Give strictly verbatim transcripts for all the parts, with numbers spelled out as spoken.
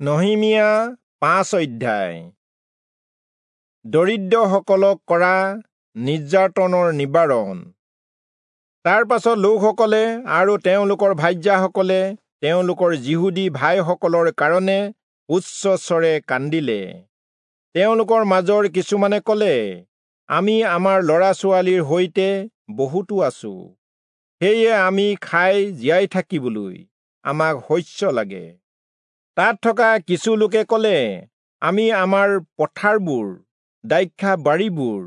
নহিমিয়া পাঁচ অধ্যায়। দৰিদ্ৰসকলক কৰা নিৰ্যাতনৰ নিবাৰণ। তাৰ পাছত লোকসকলে আৰু তেওঁলোকৰ ভাৰ্যাসকলে তেওঁলোকৰ যিহুদী ভাইসকলৰ কাৰণে উচ্চস্বৰে কান্দিলে। তেওঁলোকৰ মাজৰ কিছুমানে ক'লে, আমি আমাৰ ল'ৰা ছোৱালীৰ সৈতে বহুতো আছো, সেয়ে আমি খাই জীয়াই থাকিবলৈ আমাক শস্য লাগে। তাত থকা কিছু লোকে ক'লে, আমি আমাৰ পথাৰবোৰ, দ্ৰাক্ষা বাৰীবোৰ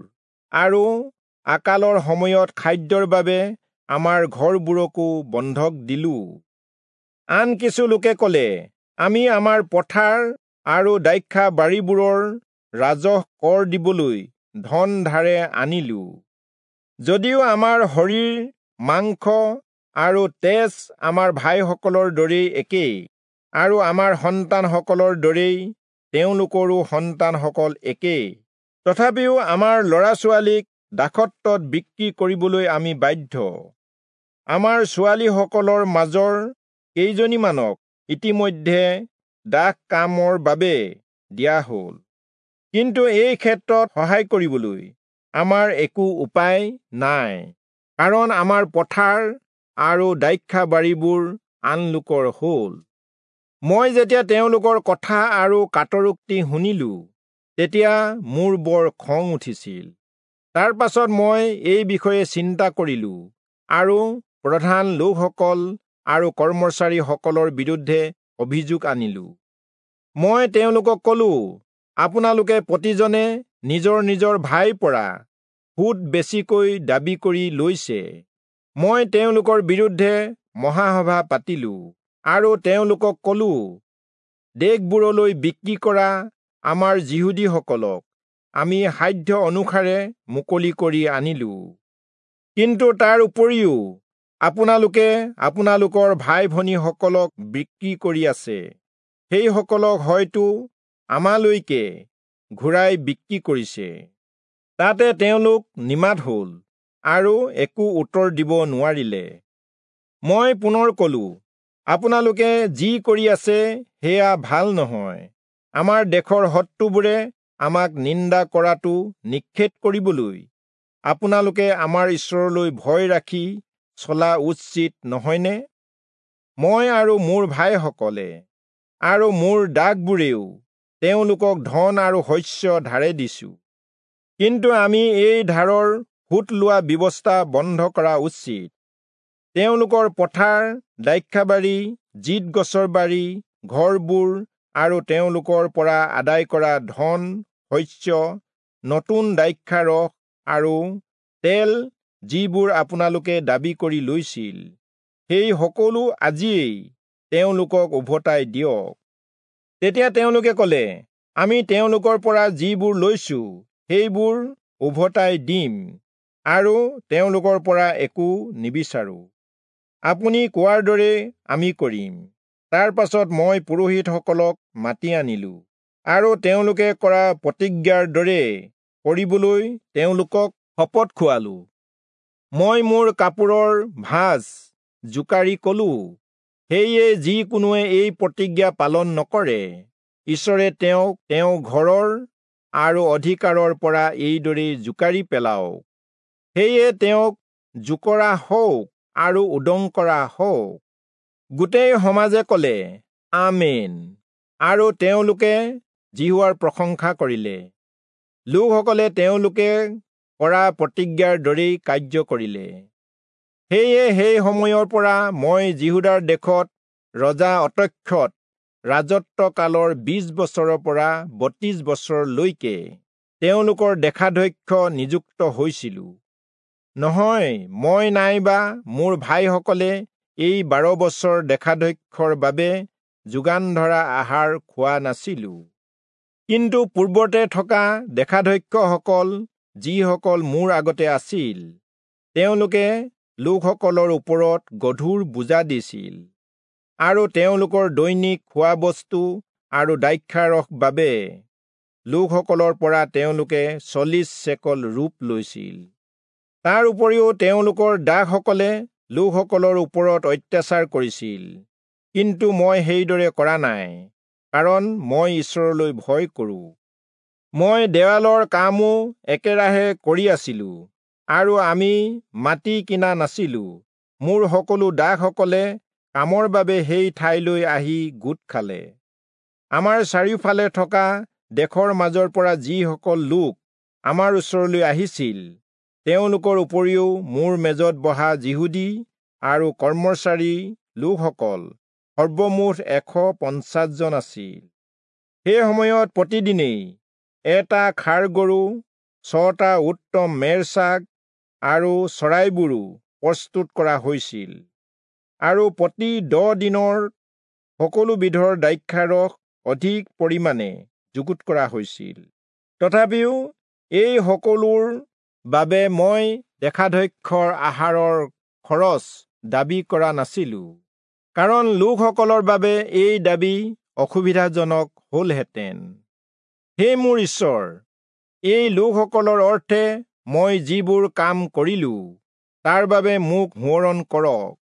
আৰু আকালৰ সময়ত খাদ্যৰ বাবে আমাৰ ঘৰবোৰকো বন্ধক দিলো। আন কিছু লোকে ক'লে, আমি আমাৰ পথাৰ আৰু দ্ৰাক্ষা বাৰীবোৰৰ ৰাজহ কৰ দিবলৈ ধন ধাৰে আনিলো। যদিও আমাৰ শৰীৰ, মাংস আৰু তেজ আমাৰ ভাইসকলৰ দৰেই একেই, আৰু আমাৰ সন্তানসকলৰ দৰেই তেওঁলোকৰো সন্তানসকল একেই, তথাপিও আমাৰ ল'ৰা ছোৱালীক দাসত্বত বিক্ৰী কৰিবলৈ আমি বাধ্য। আমাৰ ছোৱালীসকলৰ মাজৰ কেইজনীমানক ইতিমধ্যে দাস কামৰ বাবে দিয়া হ'ল, কিন্তু এই ক্ষেত্ৰত সহায় কৰিবলৈ আমাৰ একো উপায় নাই, কাৰণ আমাৰ পথাৰ আৰু দ্ৰাক্ষা বাৰীবোৰ আন লোকৰ হ'ল। মই যেতিয়া তেওঁলোকৰ কথা আৰু কাতৰোক্তি শুনিলো, তেতিয়া মোৰ বৰ খং উঠিছিল। তাৰ পাছত মই এই বিষয়ে চিন্তা কৰিলো আৰু প্ৰধান লোকসকল আৰু কৰ্মচাৰীসকলৰ বিৰুদ্ধে অভিযোগ আনিলো। মই তেওঁলোকক ক'লো, আপোনালোকে প্ৰতিজনে নিজৰ নিজৰ ভাইৰ পৰা সুত বেছিকৈ দাবী কৰি লৈছে। মই তেওঁলোকৰ বিৰুদ্ধে মহাসভা পাতিলো আৰু তেওঁলোকক ক'লো, দেশবোৰলৈ বিক্ৰী কৰা আমাৰ যিহুদীসকলক আমি সাধ্য অনুসাৰে মুকলি কৰি আনিলো, কিন্তু তাৰ উপৰিও আপোনালোকে আপোনালোকৰ ভাই ভনীসকলক বিক্ৰী কৰি আছে। সেইসকলক হয়তো আমালৈকে ঘূৰাই বিক্ৰী কৰিছে। তাতে তেওঁলোক নিমাত হ'ল আৰু একো উত্তৰ দিব নোৱাৰিলে। মই পুনৰ ক'লো, আপোনালোকে যি কৰি আছে সেয়া ভাল নহয়। আমাৰ দেশৰ শত্ৰুবোৰে আমাক নিন্দা কৰাটো নিষেধ কৰিবলৈ আপোনালোকে আমাৰ ঈশ্বৰলৈ ভয় ৰাখি চলা উচিত নহয়নে? মই আৰু মোৰ ভাইসকলে আৰু মোৰ দাসবোৰেও তেওঁলোকক ধন আৰু শস্য ধাৰে দিছো, কিন্তু আমি এই ধাৰৰ সুত লোৱা ব্যৱস্থা বন্ধ কৰা উচিত। তেওঁলোকৰ পথাৰ, দ্ৰাক্ষাবাৰী, জিত গছৰ বাৰী, ঘৰবোৰ আৰু তেওঁলোকৰ পৰা আদায় কৰা ধন, শস্য, নতুন দ্ৰাক্ষাৰস আৰু তেল যিবোৰ আপোনালোকে দাবী কৰি লৈছিল, সেই সকলো আজিয়েই তেওঁলোকক উভতাই দিয়ক। তেতিয়া তেওঁলোকে ক'লে, আমি তেওঁলোকৰ পৰা যিবোৰ লৈছো সেইবোৰ উভতাই দিম আৰু তেওঁলোকৰ পৰা একো নিবিচাৰো। আপুনি কোৱাৰ দৰে আমি কৰিম। তাৰ পাছত মই পুৰোহিতসকলক মাতি আনিলো আৰু তেওঁলোকে কৰা প্ৰতিজ্ঞাৰ দৰে কৰিবলৈ তেওঁলোকক শপত খুৱালো। মই মোৰ কাপোৰৰ ভাঁজ জোকাৰি ক'লো, সেয়ে যি কোনোৱে এই প্ৰতিজ্ঞা পালন নকৰে, ঈশ্বৰে তেওঁক তেওঁৰ ঘৰৰ আৰু অধিকাৰৰ পৰা এইদৰে জোকাৰি পেলাওক। সেয়ে তেওঁক জোকৰা হওক আৰু উদং কৰা হওক। গোটেই সমাজে ক'লে, আমেন, আৰু তেওঁলোকে যিহোৱাৰ প্ৰশংসা কৰিলে। লোকসকলে তেওঁলোকে কৰা প্ৰতিজ্ঞাৰ দৰেই কাৰ্য কৰিলে। সেয়ে সেই সময়ৰ পৰা মই যিহূদাৰ দেশত ৰজা অতক্ষত ৰাজত্বকালৰ বিশ বছৰৰ পৰা বত্ৰিশ বছৰলৈকে তেওঁলোকৰ দেশাধ্যক্ষ নিযুক্ত হৈছিলো। নহয়, মই নাইবা মোৰ ভাইসকলে এই বাৰ বছৰ দেশাধ্যক্ষৰ বাবে যোগান ধৰা আহাৰ খোৱা নাছিলো। কিন্তু পূৰ্বতে থকা দেশাধ্যক্ষসকল, যিসকল মোৰ আগতে আছিল, তেওঁলোকে লোকসকলৰ ওপৰত গধুৰ বোজা দিছিল আৰু তেওঁলোকৰ দৈনিক খোৱা বস্তু আৰু দ্ৰাক্ষাৰস বাবে লোকসকলৰ পৰা তেওঁলোকে চল্লিশ চেকল ৰূপ লৈছিল। তাৰ উপৰিও তেওঁলোকৰ দাসসকলে লোকসকলৰ ওপৰত অত্যাচাৰ কৰিছিল, কিন্তু মই সেইদৰে কৰা নাই, কাৰণ মই ঈশ্বৰলৈ ভয় কৰোঁ। মই দেৱালৰ কামো একেৰাহে কৰি আছিলো আৰু আমি মাটি কিনা নাছিলো। মোৰ সকলো দাসসকলে কামৰ বাবে সেই ঠাইলৈ আহি গোট খালে। আমাৰ চাৰিওফালে থকা দেশৰ মাজৰ পৰা যিসকল লোক আমাৰ ওচৰলৈ আহিছিল, তেওঁলোকৰ উপৰিও মোৰ মেজত বহা যিহুদী আৰু কৰ্মচাৰী লোকসকল সৰ্বমুঠ এশ পঞ্চাছজন আছিল। সেই সময়ত প্ৰতিদিনেই এটা ষাঁড় গৰু, ছটা উত্তম মেৰছাগ আৰু চৰাইবোৰো প্ৰস্তুত কৰা হৈছিল, আৰু প্ৰতি দহ দিনৰ সকলো বিধৰ দ্ৰাক্ষাৰস অধিক পৰিমাণে যুগুত কৰা হৈছিল। তথাপিও এই সকলোৰ বাবে মই দেশাধ্যক্ষৰ আহাৰৰ খৰচ দাবী কৰা নাছিলো, কাৰণ লোকসকলৰ বাবে এই দাবী অসুবিধাজনক হলহেঁতেন। হে মোৰ ঈশ্বৰ, এই লোকসকলৰ অৰ্থে মই যিবোৰ কাম কৰিলো, তাৰ বাবে মোক সোঁৱৰণ কৰক।